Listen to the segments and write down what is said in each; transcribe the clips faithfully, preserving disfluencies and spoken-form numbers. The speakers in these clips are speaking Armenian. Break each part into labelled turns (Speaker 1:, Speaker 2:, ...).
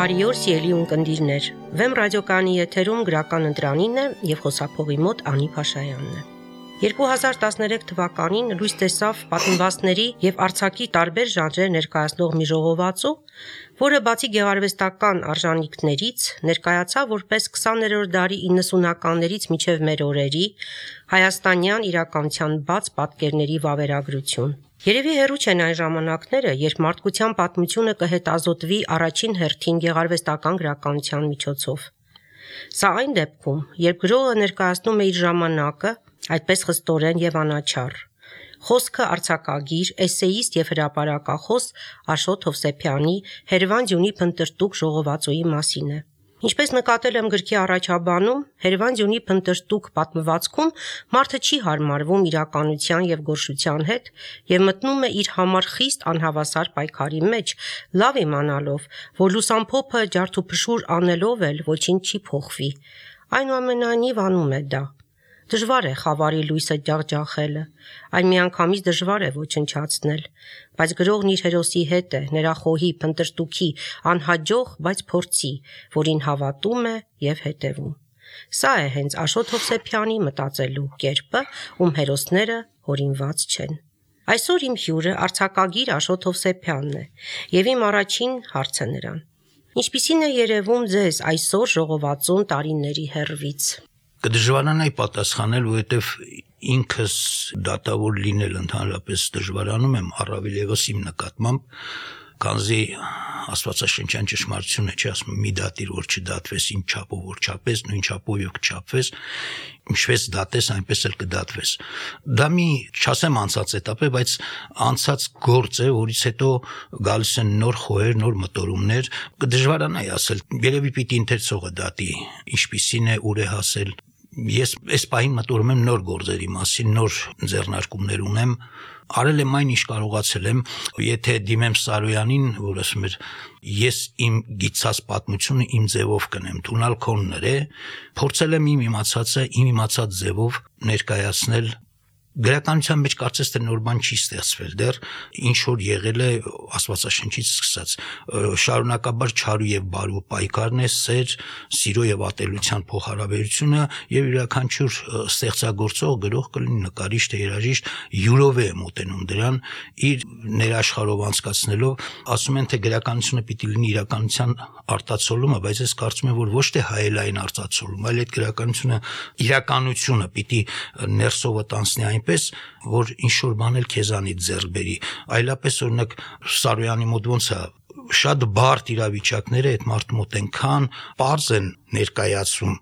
Speaker 1: Բարի օր, սիրելի ունկնդիրներ։ Վեմ ռադիոկայանի եթերում գրական ընտրանին է եւ խոսափողի մոտ Անի Փաշայանն է։ երկու հազար տասներեք թվականին լույս տեսավ պատմվածքների եւ արձակի տարբեր ժանրեր ներկայացնող մի ժողովածու, որը բացի գեղարվեստական արժանինքներից ներկայացավ որպես քսաներորդ դարի իննսունականներից մինչև մեր օրերի հայաստանյան իրականության բաց պատկերների վավերագրություն։ Երևի հեռու չեն այն ժամանակները, երբ մարդկության պատմությունը կհետազոտվի առաջին հերթին գեղարվեստական գրականության միջոցով։ Սա այն դեպքում, երբ գրողը ներկայացնում է իր ժամանակը, այդպես խստորեն եւ անաչառ։ Խոսքը արձակագիր, էսեիստ եւ հրապարակախոս Աշոտ Հովսեփյանի Հերվան-Ձյունի փնտրտուք ժողովածուի մասին է։ Ինչպես նկատել եմ գրքի առաջաբանում, Հերվան-Ձյունի փնտրտուք պատմվածքում մարդը չի հարմարվում իրականության եւ գորշության հետ եւ մտնում է իր համար խիստ անհավասար պայքարի մեջ, լավ իմանալով, որ լուսամփոփը ջարդուփշուր անելով էլ ոչինչ չի փոխվի։ Այնուամենայնիվ անում է դա։ Դժվար է խավարի լույսը ջախջախելը, այն միանգամից դժվար է ոչնչացնել, բայց գրողն իր հերոսի հետ է, նրա խոհի, փնտրտուքի, անհաջող, բայց փորձի, որին հավատում է եւ հետևում։ Սա է հենց Աշոտ Հովսեփյանի մտածելու կերպը, ում հերոսները հորինված չեն։ Այսօր իմ հյուրը արձակագիր Աշոտ Հովսեփյանն է, եւ իմ առաջին հարցը նրան. Ինչպիսին է երևում ձեզ այսօր ժողովածուն տարիների հեռվից։
Speaker 2: Կդժվարանայի պատասխանել, որովհետև ինքս դատավոր լինել ընդհանրապես դժվարանում եմ, առավել ևս իմ նկատմամբ, քանզի աստվածաշնչյան ճշմարտությունը չի ասում մի դատիր, որ չդատվես, ինչ չափով որ չափես, նույն չափով եւ կչափվես, ինչպես դատես, այնպես էլ կդատվես։ Դա մի չասեմ անցած էտապ է, բայց անցած գործ է, որից հետո գալիս են նոր խոհեր, նոր մտորումներ, կդժվարանայի ասել, երևի պիտի ընթերցողը դատի, ինչպիսին է, ուր է հասել։ Ես այս պահին մտորում եմ նոր գործերի մասին, նոր ձեռնարկումներ ունեմ, արել եմ այն, ինչ կարողացել եմ, եթե դիմեմ Սարոյանին, որ ասում էր, ես իմ գիտած պատմությունը իմ ձևով կնեմ, թունալ քոններ է, փորձել եմ իմ իմացածը, իմ իմացած ձևով ներկայացնել։ Գրականության մեջ կարծես թե նոր բան չի ստեղծվել դեռ, ինչ որ եղել է աստվածաշնչից սկսած, շարունակաբար չարու եւ բարու պայքարն է, սեր, սիրո եւ ատելության փոխհարաբերությունը եւ յուրաքանչյուր ստեղծագործող գրող կլինի նկարիչ թե երաժիշտ յուրով է մոտենում դրան, իր ներաշխարհով անցկացնելով, ասում են թե գրականությունը պիտի լինի իրականության արտացոլումը, բայց ես կարծում եմ, որ ոչ թե հայելային արտացոլում, այլ այդ գրականությունը իրականությունը պիտի ներսովը տանցնի այն պես, որ ինչ-որ բան էլ քեզանից ձեռք բերի, այլապես օրինակ Սարոյանի մոտ ոնց է, շատ բարդ իրավիճակները այդ մարդու մոտ այնքան պարզ են ներկայացում,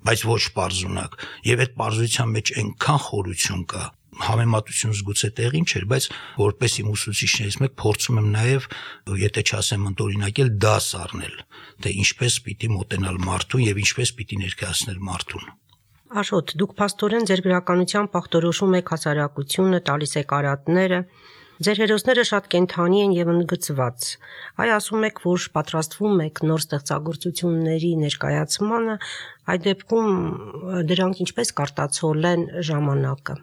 Speaker 2: բայց ոչ պարզունակ, եւ այդ պարզության մեջ այնքան խորություն կա, համեմատություն զգուց է տեղին չէր, բայց որպես իմ ուսուցիչներից մեկ փորձում եմ նաեւ, եթե չասեմ ընդօրինակել, դաս առնել, թե ինչպես պիտի մոտենալ մարդուն եւ ինչպես պիտի ներկայացնել մարդուն։
Speaker 1: Աշոտ, դուք փաստորեն ձեր գրականության պախտորոշում եք հասարակությունը, տալիս եք արատները, ձեր հերոսները շատ կենդանի են եւ ընդգծված։ Այ ասում եք, որ պատրաստվում եք նոր ստեղծագործությունների ներկայացմանը, այդ դեպքում դրանք ինչպես կարտացոլեն ժամանակը։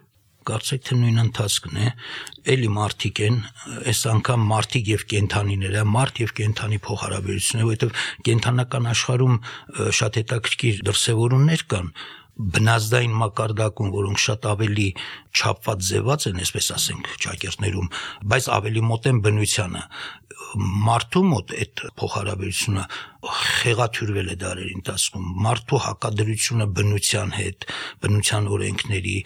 Speaker 2: Կարծեք թե նույն ընթացքն է, էլի մարդիկ են, այս անգամ մարդիկ եւ կենդանիները, մարդ եւ կենդանի փոխհարաբերությունը, որովհետեւ կենդանական աշխարհում շատ հետաքրքիր դրսևորումներ կան, բնազդային մակարդակում, որոնք շատ ավելի չափված ձևած են, այսպես ասենք, ճակերտներում, բայց ավելի մոտ են բնությանը։ Մարդու մոտ այդ փոխհարաբերությունը խեղաթյուրվել է դարերի ընթացքում, մարդու հակադրությունը բնության հետ, բնության օրենքների,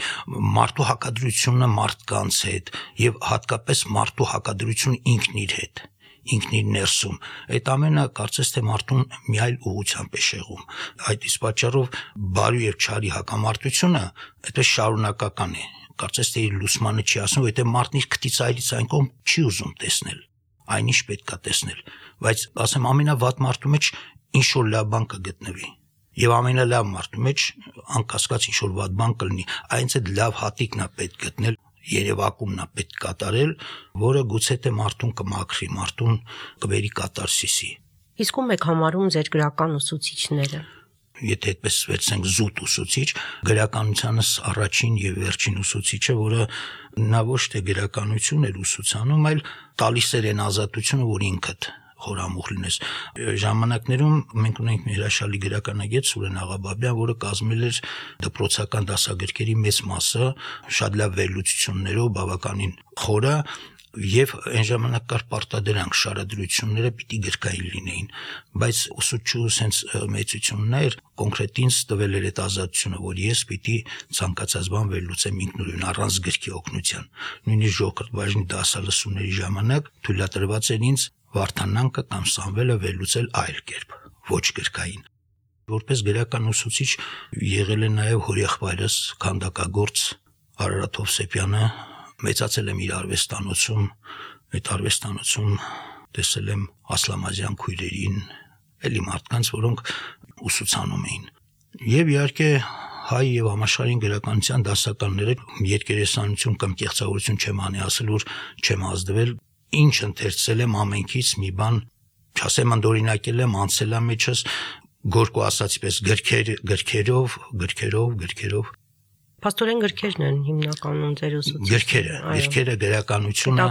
Speaker 2: մարդու հակադրությունը մարդկանց հետ եւ հատկապես մարդու հակադրությունը ինքն իր հետ, ինքն իր ներսում, այդ ամենը կարծես թե մարդուն մի այլ ուղղությամբ է շեղում։ Այդ իսկ պատճառով բարու եւ չարի հակամարտությունը այդպես շարունակական է, կարծես թե իր լուսմանը չի ասում, որովհետեւ մարդն իր քթից այլից այն կողմ չի ուզում տեսնել, այնիշ պետք է տեսնել, բայց ասեմ ամենավատ մարդու մեջ ինչ որ լավ բան կգտնվի եւ ամենալավ մարդու մեջ անկասկած ինչ որ վատ բան կլինի, այնց այդ լավ հատիկն է պետք գտնել, երևակումն է պետք կատարել, որը գուցե թե մարդուն կմաքրի, մարդուն կբերի կատարսիսի։
Speaker 1: Իսկ ում եք համարում ձեր գրական ուսուցիչները։
Speaker 2: Եթե այդպես վերցնենք զուտ ուսուցիչ, գրականությանս առաջին եւ վերջին ուսուցիչը, որը նա ոչ թե գրականություն էր ուսուցանում, այլ տալիս էր այն ազատությունը, որ ինքդ խորամուխ լինես։ Ժամանակներում մենք ունենք մի հրաշալի գրականագետ Սուրեն Աղաբաբյան, որը կազմել էր դպրոցական դասագրքերի մեծ մասը շատ լավ վերլուծություններով, բավականին խորը, եւ այն ժամանակ կար պարտադրանք շարադրությունները պիտի գրքային լինեին, բայց ուսուցչու sense մեծությունն էր կոնկրետ ինձ տվել էր այդ ազատությունը, որ ես պիտի ցանկացած բան վերլուծեմ ինքնուրույն առանց գրքի օգնության։ Նույնիսկ ժողովրդ բաժնի դասալսումների ժամանակ թույլատրված էր ինձ Վարդանանքը կամ Սամվելը վերլուծել այլ կերպ, ոչ գրքային։ Որպես գրական ուսուցիչ եղել է նաեւ հորեղբայրս քանդակագործ Արարատ Հովսեփյանը, մեծացել եմ իր արվեստանոցում, այդ արվեստանոցում տեսել եմ Ասլամազյան քույրերին, էլի մարդկանց, որոնք ուսուցանում էին։ Եվ իհարկե հայ եւ համաշխարհային գրականության դասականները երկերեսանություն կամ կեղծավորություն չեմ անի ասել, որ չեմ ազդվել, ինչ ընթերցել եմ ամենքից մի բան, չասեմ ընդօրինակել եմ, անցել եմ մեջս, Գորկու ասացի պես գրքեր, գրքերով, գրքերով, գրքերով
Speaker 1: Փաստորեն գրքերն են հիմնականում ձեր ուսուցիչները։
Speaker 2: Գրքերը, գրքերը գրականությունը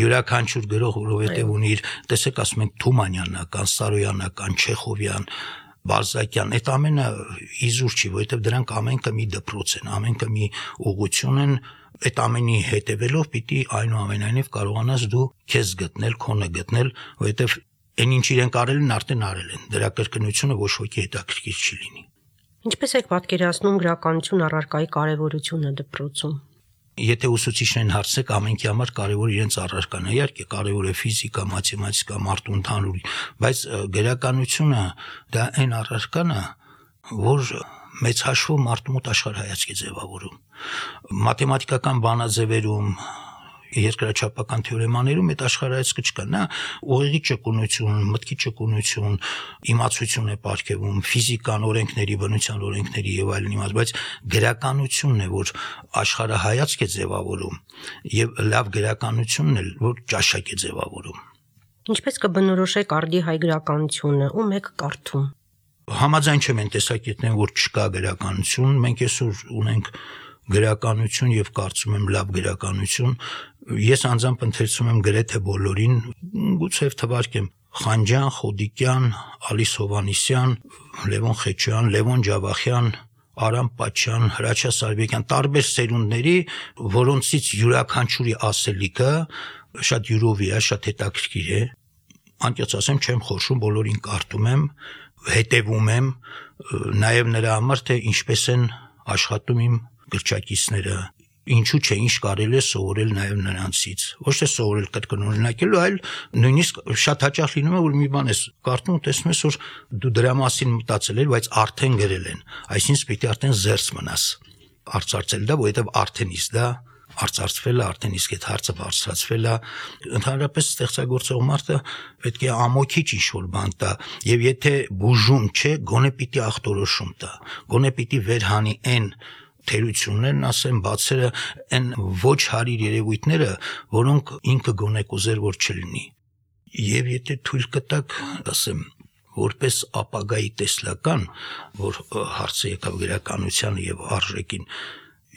Speaker 2: յուրաքանչյուր գրող, որովհետև ունի իր, տեսեք, ասում ենք Թումանյանական, Սարոյանական, Չեխովյան, Բալզակյան, այդ ամենը իզուր չի, որովհետև դրանք ամենքը մի դպրոց են, ամենքը մի ուղղություն են, այդ ամենի հետևելով պիտի այնուամենայնիվ կարողանաս դու քեզ գտնել, քոնը գտնել, որովհետև այն ինչ իրենք արել են, արդեն արել են։ Դրա կրկնությունը ոչ ոքի հետաքրքիր չի լինի։
Speaker 1: Ինչպես եք պատկերացնում գրականություն առարկայի կարևորությունը դպրոցում։
Speaker 2: Եթե ուսուցիչներին հարցեք, ամենքի համար կարևոր իրենց առարկան է, իհարկե կարևոր է ֆիզիկա, մաթեմատիկա, մարդու ընդհանուր, բայց գրականությունը դա այն առարկան է, որ մեծ հաշվով մարդու մոտ աշխարհայացք է ձևավորում։ Մաթեմատիկական բանաձևերում, երկրաչափական թեորեմաներում այդ աշխարհայացքը չկա, նա ուղեղի ճկունություն, մտքի ճկունություն, իմացություն է պարգևում, ֆիզիկան, օրենքների, բնության օրենքների եւ այլն իմաց, բայց գրականությունն է, որ աշխարհայացք է ձևավորում եւ լավ գրականությունն է, որ ճաշակ է ձևավորում։
Speaker 1: Ինչպես կբնորոշեք արդի հայ գրականությունը, ում եք կարդում։
Speaker 2: Համաձայն չեմ այն տեսակետներն, որ չկա գրականություն, մենք այսօր ունենք գրականություն եւ կարծում եմ լավ գրականություն, ես անձամբ ընթերցում եմ գրեթե բոլորին, գուցե թվարկեմ Խանջյան, Խոդիկյան, Ալիս Հովանիսյան, Լևոն Խեչյան, Լևոն Ջավախյան, Արամ Պաչյան, Հրաչյա Սարբեկյան, տարբեր սերունդների, որոնցից յուրաքանչյուրի ասելիքը շատ յուրովի է, շատ հետաքրքիր է։ Անկեղծ ասեմ, չեմ խոշում, բոլորին կարդում եմ, հետևում եմ, նաեւ նրա համար թե ինչպես են աշխատում իմ գրչակիցները, ինչու՞ չէ, ինչ կարելի է սովորել նաև նրանցից, ոչ թե սովորել կրկնօրինակելու, այլ նույնիսկ շատ հաճախ լինում է, որ մի բան ես կարդում, տեսնում ես, որ դու դրա մասին մտածել ես, բայց արդեն գրել են, այսինքն պիտի արդեն զերծ մնաս արծարծել դա, որովհետև արդեն իսկ դա արծարծվել է, արդեն իսկ այդ հարցը բարձրացվել է, ընդհանրապես ստեղծագործող մարդը պետք է ամոքիչ ինչ-որ բան տա, եւ եթե բուժում չէ, գոնե պիտի ախտորոշում տա, գոնե պիտի վերհանի այն թերություններն, ասեմ, բացերը, այն ոչ հարիր երևույթները, որոնք ինքը գոնե կուզեր, որ չլինի։ Եվ եթե թույլ կտակ, ասեմ, որպես ապագայի տեսլական, որ հարցը եկավ գրականությանը եւ արժեքին,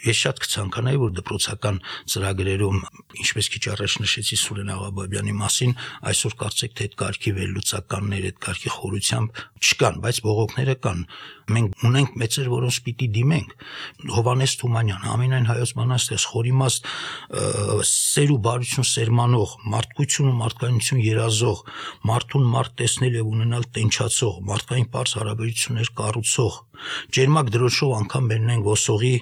Speaker 2: ես շատ կցանկանայի, որ դպրոցական ծրագրերում, ինչպես քիչ առաջ նշեցի Սուրեն Աղաբաբյանի մասին, այսօր կարծեք թե այդ կարգի վերլուծականներ, այդ կարգի խորությամբ չկան, բայց բողոքները կան։ Մենք ունենք մեծեր, որոնց պիտի դիմենք։ Հովհաննես Թումանյան, ամենայն հայոց բանաստեղծ, խորիմաստ սեր ու բարություն սերմանող, մարդկություն ու մարդկանություն երազող, մարդուն մարդ տեսնել եւ ունենալ տենչացող, մարդկային པարզ հարաբերություններ կառուցող, ջերմակ դրոշով անգամ մերնեն ոսողի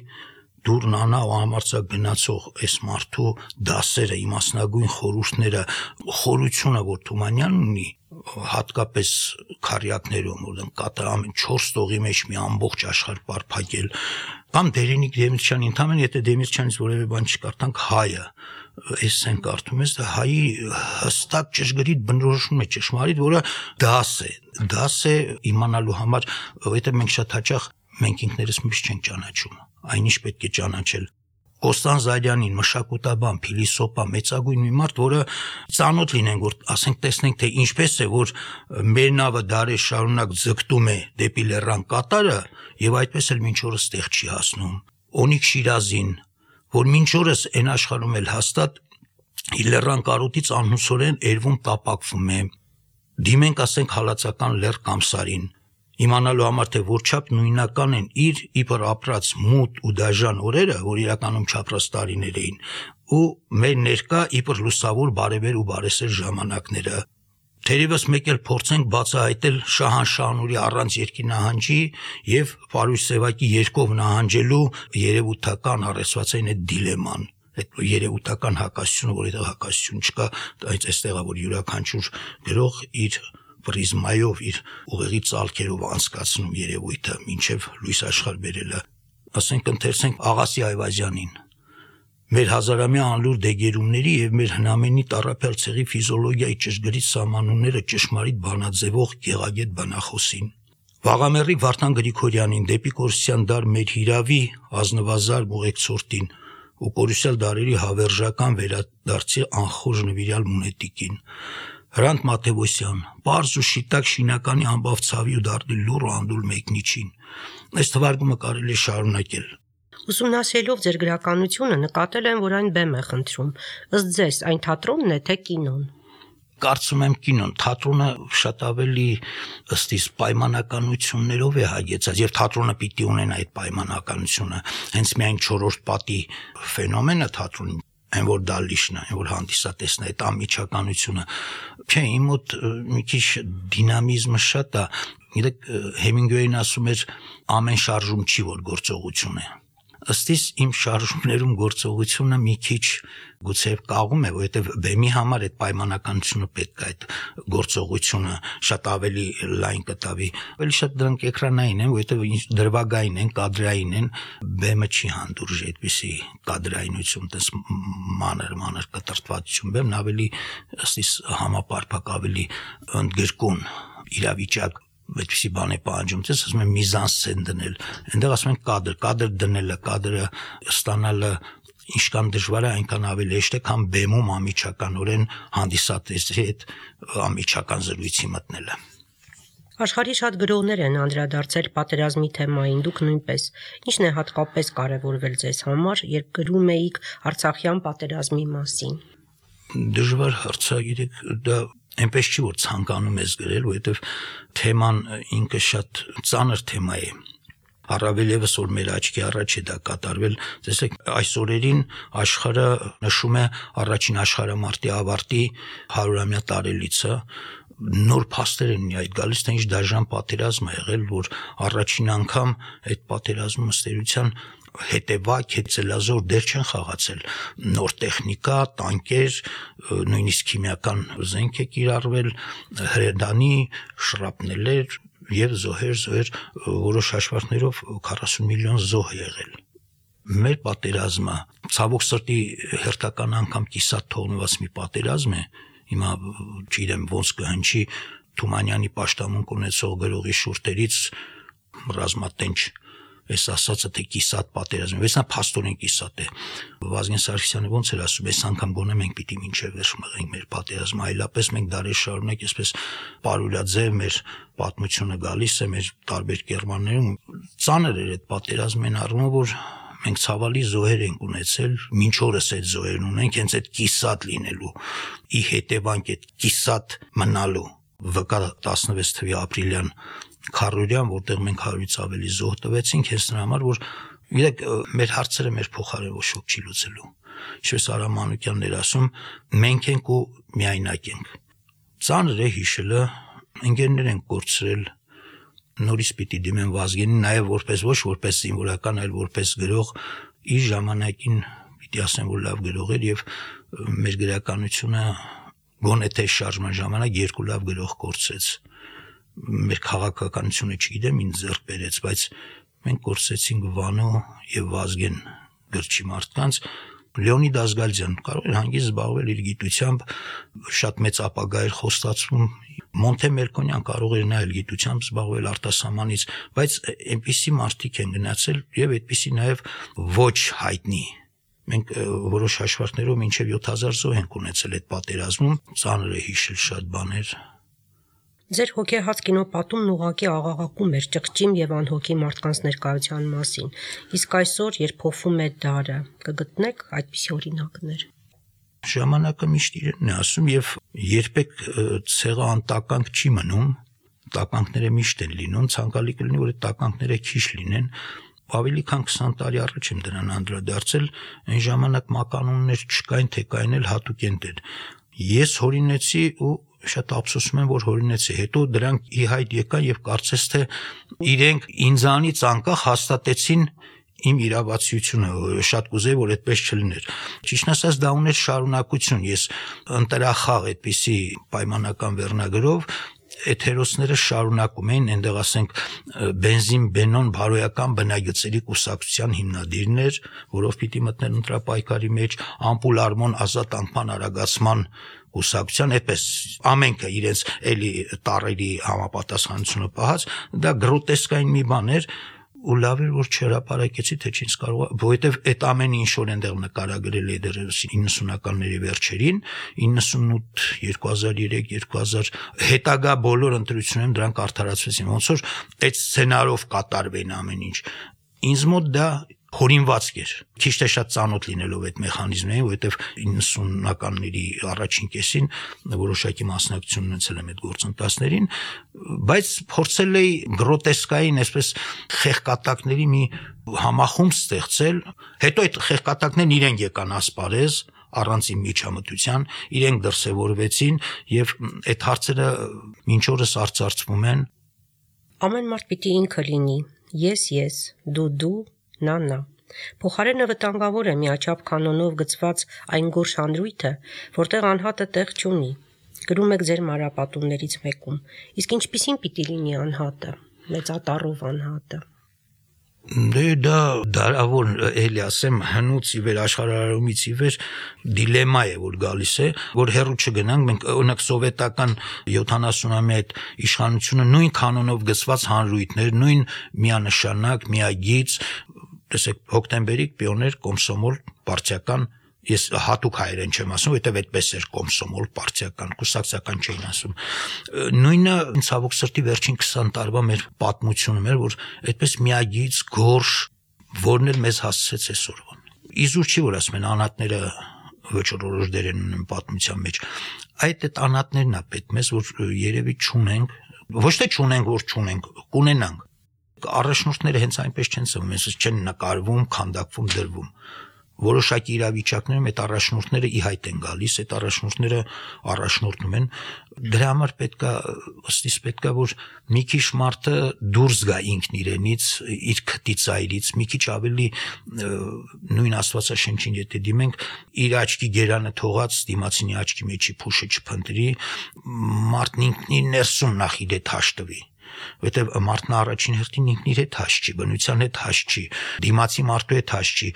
Speaker 2: դուրնանա ու համարցակ գնացող այս մարդու դասերը, իմասնագույն խորհուրդները, խորությունը, որ Թումանյանն ունի, հատկապես քարյակներում, որտեղ կատա ամեն չորս տողի մեջ մի ամբողջ աշխարհ բարփակել, կամ Դերենիկ Դեմիրճյանի, ընդհանրապես եթե Դեմիրճյանից որևէ բան չկարդանք, հայը, այս են կարդում ես, դա հայի հստակ ճշգրիտ բնորոշում է ճշմարիտ, որը դաս է, դաս է իմանալու համար, որովհետև մենք շատ հաճախ մենք ինքներս միշտ չենք ճանաչում, այնիշ պետք է ճանաչել։ Կոստան Զարյանին, մշակութաբան, փիլիսոփա, մեծագույն մի մարդ, որը ծանոթ լինենք, որ ասենք տեսնենք, թե ինչպես է, որ մեր նավը դարեր շարունակ ձգտում է դեպի լեռան կատարը, եւ այդպես էլ մինչ օրս տեղ չի հասնում։ Օնիկ Շիրազին, որ մինչ օրս այն աշխարհում էլ հաստատ իր լեռան կարոտից անհուսորեն երվում տապակվում է։ դիմենք ասենք հալածական լեռ կամ սարին, իմանալու համար թե որչափ նույնական են իր իբր ապրած մութ ու դաժան օրերը, որ իրականում չապրած տարիներ էին, ու մեր ներկա իբր լուսավոր բարևեր ու բարեսեր ժամանակները։ Թերևս մեկ էլ փորձենք բացահայտել Շահանշահնուրի առանց երկի նահանջի եւ Պարույր Սևակի երկով նահանջելու երևութական առեսվածային այդ դիլեման, այդ երևութական հակասությունը, որ այդտեղ հակասություն չկա, այդ այստեղ է որ յուրաքանչյուր գրող իր պրիզմայով, իր ուղեղի ծալքերով անցկացնում երևույթը մինչև լույս աշխարհ բերելը։ Ասենք ընթերցենք Աղասի Այվազյանին։ Մեր հազարամյա անլուր դեգերումների եւ մեր հնամենի տառապյալ ցեղի ֆիզիոլոգիայի ճշգրիտ սահմանումները ճշմարիտ բանաձևող գեղագետ բանախոսին։ Վաղամերիկ Վարդան Գրիգորյանին, դեպի Կորսյան դար մեր հիրավի ազնվազար ուղեկցորդին ու կորուսյալ դարերի հավերժական վերադարձի անխորժ նվիրյալ մունետիկին։ Հրանտ Մաթեոսյան, պարզ ու շիտակ շինականի ամբավ ցավի ու դարդի լուր ու անդուլ մեկնիչին։ Այս թվարկումը կարելի է շարունակել։
Speaker 1: Ուսումնասիրելով ձեր գրականությունը նկատել եմ, որ այն բեմ է խնդրում։ Ըստ ձեզ, այն թատրոնն է, թե կինոն։
Speaker 2: Կարծում եմ կինոն, թատրոնը շատ ավելի ըստ իս պայմանականություններով է հագեցած եւ թատրոնը պիտի ունենա այդ պայմանականությունը։ Հենց միայն չորրորդ պատի ֆենոմենը թատրոնի, այն որ դա լիշն է, այն որ հանդիսատեսն է, այդ անմիջականությունը։ Չէ, իմ մոտ մի քիչ դինամիզմը շատ է։ Գիտեք, Հեմինգուեյն ասում էր ամեն շարժում չի որ գործողություն է։ Ըստ իս իմ շարժումներում գործողությունը մի քիչ գուցե կաղում է, որովհետև բեմի համար այդ պայմանականությունը պետք է, այդ գործողությունը շատ ավելի լայն կտավի։ Ավելի շատ դրանք էկրանային են, որովհետև դրվագային են, կադրային են, բեմը չի հանդուրժի այդպիսի կադրայնություն, տես մանր մանր կտրտվածություն, բեմն ավելի ըստ իս համապարփակ, ավելի ընդգրկուն իրավիճակ այդպիսի բան է պահանջում, ես ասում եմ միզանսցեն դնել, այնտեղ ասում են կադր, կադր դնելը, կադրը ստանալը ինչքան դժվար է, այնքան ավելի հեշտ է, քան բեմում անմիջականորեն հանդիսատեսի հետ անմիջական զրույցի մտնելը։
Speaker 1: Աշխարհի շատ գրողներ են անդրադարձել պատերազմի թեմային, դուք նույնպես։ Ինչն է հատկապես կարևորվել ձեզ համար, երբ գրում էիք Արցախյան պատերազմի մասին։
Speaker 2: Դժվար հարցագիրեք, դա այնպես չի որ ցանկանում ես գրել, որովհետև թեման ինքը շատ ծանր թեմա է։ Առավել ևս որ մեր աչքի առաջ է դա կատարվել, տեսեք, այս օրերին աշխարհը նշում է առաջին աշխարհամարտի ավարտի հարյուրամյա տարելիցը, նոր փաստեր են այդ գալիս, թե ինչ դաժան պատերազմ է եղել, որ առաջին անգամ այդ պատերազմը ըստերության հետևակ, հետցելազոր դեր չեն խաղացել, նոր տեխնիկա, տանկեր, նույնիսկ քիմիական զենք է կիրառվել, հրետանի, շրապնելեր եւ զոհեր, զոհեր, որոշ հաշվարկներով քառասուն միլիոն զոհ եղել։ Մեր պատերազմը ցավոք սրտի հերթական անգամ կիսատ թողնված մի պատերազմ է, հիմա չգիտեմ ոնց կհնչի Թումանյանի պաշտամունք ունեցող գրողի շուրթերից ռազմատենչ այս ասածը թե կիսատ պատերազմ, բայց նա փաստորեն կիսատ է։ Վազգեն Սարգսյանը ոնց էր ասում, այս անգամ գոնե մենք պիտի մինչև վերջ մղենք մեր պատերազմը, այլապես մենք դարեր շարունակ այսպես պարուրաձև մեր պատմությունը գալիս է մեր տարբեր կերմաններում։ Ծանր էր այդ պատերազմն այն առումով, որ մենք ցավալի զոհեր ենք ունեցել, մինչ օրս այդ զոհերն ունենք, հենց այդ կիսատ լինելու, ի հետևանք այդ կիսատ մնալու վկա տասնվեց թվականի ապրիլյան քարորյան, որտեղ մենք հարյուրից ավելի զոհ տվեցինք, հենց նրա համար, որ գիտեք, մեր հարցերը մեր փոխարեն ոչ ոք չի լուծելու։ Ինչպես Արամ Մանուկյանն էր ասում, մենք ենք ու միայնակ ենք։ Ծանր է հիշելը, ընկերներ ենք կորցրել, նորից պիտի դիմեն Վազգենին, նաև որպես ոչ որպես զինվորական, այլ որպես գրող, իր ժամանակին պիտի ասեմ, որ լավ գրող էր եւ մեր գրականությունը գոնե թե շարժման ժամանակ երկու լավ գրող կորցրեց։ Մեր քաղաքականությունը չգիտեմ ինձ ձեռք բերեց, բայց մենք կորցրեցինք Վանո եւ Վազգեն գրչի մարդկանց։ Լեոնիդ Ազգալյան կարող էր հանգիստ զբաղվել իր գիտությամբ, շատ մեծ ապագա էր խոստացվում։ Մոնթե Մելքոնյան կարող էր նա էլ գիտությամբ զբաղվել արտասահմանից, բայց այնպիսի մարդիկ են գնացել եւ այդպիսի նաեւ ոչ հայտնի։ Մենք որոշ հաշվարկներով մինչեւ յոթ հազար զոհ ենք ունեցել այդ պատերազմում, ծանր է հիշել շատ բաներ։
Speaker 1: Ձեր հոգեհաց կինոպատումն ուղղակի աղաղակում էր ճղճիմ եւ անհոգի մարդկանց ներկայության մասին, իսկ այսօր, երբ փոխվում է դարը, կգտնեք այդպիսի օրինակներ։
Speaker 2: Ժամանակը միշտ իրենն է ասում եւ երբեք ցեղը անտականք չի մնում, տականքները միշտ են լինում, ցանկալի կլինի, որ այդ տականքները քիչ լինեն։ Ավելի քան քսան տարի առաջ եմ դրան անդրադարձել, այն ժամանակ մականուններ չկային, թե կային էլ հատուկ էր։ Ես հորինեցի ու շատ ափսոսում եմ, որ հորինեցի, հետո դրանք ի հայտ եկան եւ կարծես թե իրենք ինձանից անկախ հաստատեցին իմ իրավացիությունը, շատ կուզեի, որ այդպես չլիներ։ Ճիշտն ասած, դա ուներ շարունակություն, ես ընտրախաղ այդպիսի պայմանական վերնագրով այդ հերոսները շարունակում էին, այնտեղ ասենք բենզին բենոն բարոյական բնագծերի կուսակցության հիմնադիրներ, որով պիտի մտնել ընտրապայքարի մեջ, ամպուլ արմոն ազատ անկման արագացման կուսակցության, այդպես ամենքը իրենց էլի տարերի համապատասխանությունը պահած, դա գրոտեսկային մի բան էր, ու լավ էր, որ չհրապարակեցի, թե չինչ կարող, որովհետև այդ ամենը ինչ որ այնտեղ նկարագրել է դեռևս իննսունականների վերջերին, իննսունութ, երկու հազար երեք, երկու հազար հետագա բոլոր ընտրություններում դրանք արդարացվեցին, ոնց որ այդ սցենարով կատարվեն ամեն ինչ։ Ինձ մոտ դա հորինվածք էր, քիչ թե շատ ծանոթ լինելով այդ մեխանիզմներին, որովհետև իննսունականների առաջին կեսին որոշակի մասնակցություն ունեցել եմ այդ գործընթացներին, բայց փորձել էի գրոտեսկային, այսպես խեղկատակների մի համախումբ ստեղծել, հետո այդ խեղկատակներն իրենք եկան ասպարեզ առանց իմ միջամտության, իրենք դրսևորվեցին եւ այդ հարցերը մինչ օրս արծարծվում են։
Speaker 1: Ամեն մարդ պիտի ինքը լինի, ես ես, դու դու, նա նա։ Փոխարենը վտանգավոր է միաչափ կանոնով գծված այն գորշ հանրույթը, որտեղ անհատը տեղ չունի։ Գրում եք ձեր մանրապատումներից մեկում, իսկ ինչպիսին պիտի լինի անհատը, մեծատառով անհատը։
Speaker 2: Դե դա դարավոր էլի ասեմ հնուց ի վեր աշխարհարարումից ի վեր դիլեմա է որ գալիս է, որ հեռու չգնանք, մենք օրինակ սովետական յոթանասունամյա այդ իշխանությունը նույն կանոնով գծված հանրույթներ, նույն միանշանակ, միագիծ, տեսեք հոկտեմբերի պիոներ կոմսոմոլ պարտիական, ես հատուկ հայերեն չեմ ասում, որովհետև այդպես էր կոմսոմոլ պարտիական, կուսակցական չէին ասում։ Նույնը ցավոք սրտի վերջին քսան տարվա մեր պատմությունում էր, որ այդպես միագիծ գորշ, որն էլ մեզ հասցրեց այսօրվան։ Իզուր չի որ ասում են անհատները վճռորոշ դեր են ունեն պատմության մեջ։ Այդ այդ անհատներն է պետք մեզ, որ երևի չունենք, ոչ թե չունենք, որ չունենք, կունենանք։ Առաջնորդները հենց այնպես չեն ծնվում, հենց չեն նկարվում, քանդակվում, դրվում։ Որոշակի իրավիճակներում այդ առաջնորդները ի հայտ են գալիս, այդ առաջնորդները առաջնորդում են, դրա համար պետքա, ըստիս պետքա, որ մի քիչ մարդը դուրս գա ինքն իրենից, իր քտից այրից, մի քիչ ավելի նույն Աստվածաշնչին եթե դիմենք, իր աչքի գերանը թողած դիմացինի աչքի մեջի փուշը չփնտրի, մարդն ինքն իր ներսում նախ իր հետ հաշտվի։ Որտեւ մարդն առաջին հերթին ինքն իր հետ հաշ չի, բնության հետ հաշ չի, դիմացի մարդու հետ հաշ չի,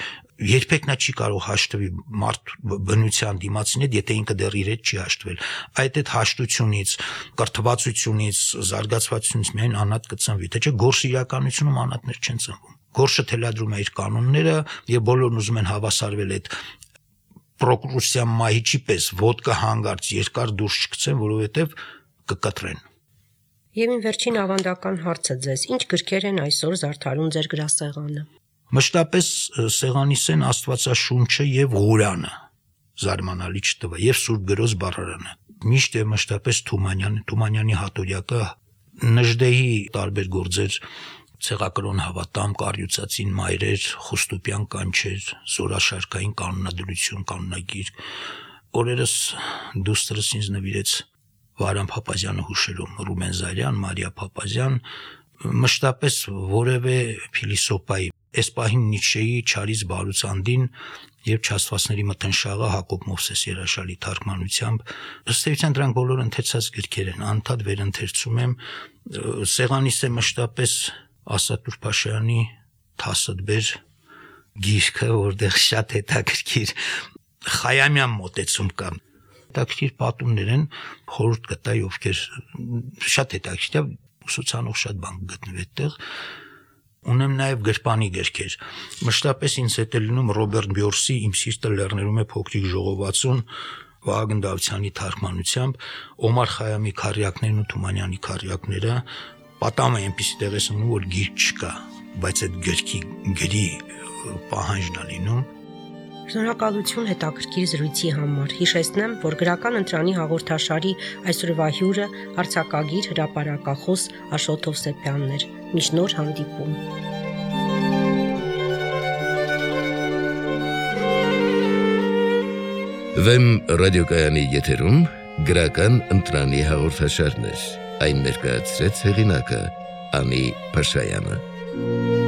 Speaker 2: երբեք նա չի կարող հաշտվի մարդ բնության դիմացին հետ, եթե ինքը դեռ իր հետ չի հաշտվել։ Այդ այդ հաշտությունից, կրթվածությունից, զարգացվածությունից միայն անհատ կծնվի, թե չէ գորշ իրականությունում անհատներ չեն ծնվում։ Գորշը թելադրում է իր կանոնները եւ բոլորն ուզում են հավասարվել այդ պրոկրուսիան մահիճի պես ոդկա հանգարց երկար դուրս չգցեն, որովհետեւ կկտրեն։
Speaker 1: Եվ իմ վերջին ավանդական հարցը ձեզ, ինչ գրքեր են այսօր զարդարում ձեր գրասեղանը։
Speaker 2: Մշտապես սեղանիսեն Աստվածաշունչը եւ Ղուրանը, զարմանալի չտվա, եւ Սուրբ Գրոզ բառարանը։ Միշտ է մշտապես Թումանյանը, Թումանյանի հատորյակը, Նժդեհի տարբեր գործեր, ցեղակրոն հավատամ, Կառյուծածին մայրեր, Խուստուպյան կանչեր, Զորաշարքային կանոնադրություն, կանոնագիր։ Օրերս դուստրս ինձ նվիրեց Վարամ Փափազյանը հուշերում, Ռուբեն Զարյան, Մարիա Փափազյան, մշտապես որևէ փիլիսոփայի, այս պահին Նիցշեի Չարից Բարուցանդին եւ Չաստվածների մթնշաղը Հակոբ Մովսես Երաշալի թարգմանությամբ, ըստ էության դրանք բոլորը ընթերցած գրքեր են, անդադ վերընթերցում եմ, սեղանիս է մշտապես Ասատուր Փաշայանի Թասըդբեր գիրքը, որտեղ շատ հետաքրքիր Խայամյան մոտեցում կա։ Հետաքրքիր պատումներ են, խորհուրդ կտայի ովքեր շատ հետաքրքիր, ուսուցանող շատ բան գտնվի այդտեղ։ Ունեմ նաև գրպանի գրքեր։ Մշտապես ինձ հետ է լինում Ռոբերտ Բյորսի Իմ սիրտը լեռներում է փոքրիկ ժողովածուն Վահագն Դավթյանի թարգմանությամբ, Օմար Խայամի քառյակներն ու Թումանյանի քառյակները, պատամը այնպեսի տեղ ես ունում, որ գիրք չկա, բայց այդ գրքի գրի պահանջն է լինում։
Speaker 1: Շնորհակալություն հետաքրքիր զրույցի համար։ Հիշեցնեմ, որ գրական ընտրանի հաղորդաշարի այսօրվա հյուրը արձակագիր հրապարակախոս Աշոտ Հովսեփյանն էր։ Մինչ նոր հանդիպում։
Speaker 3: Վեմ ռադիոկայանի եթերում գրական ընտրանի հաղորդաշարներ։ Այն ներկայացրեց հեղինակը Անի Փաշայանը։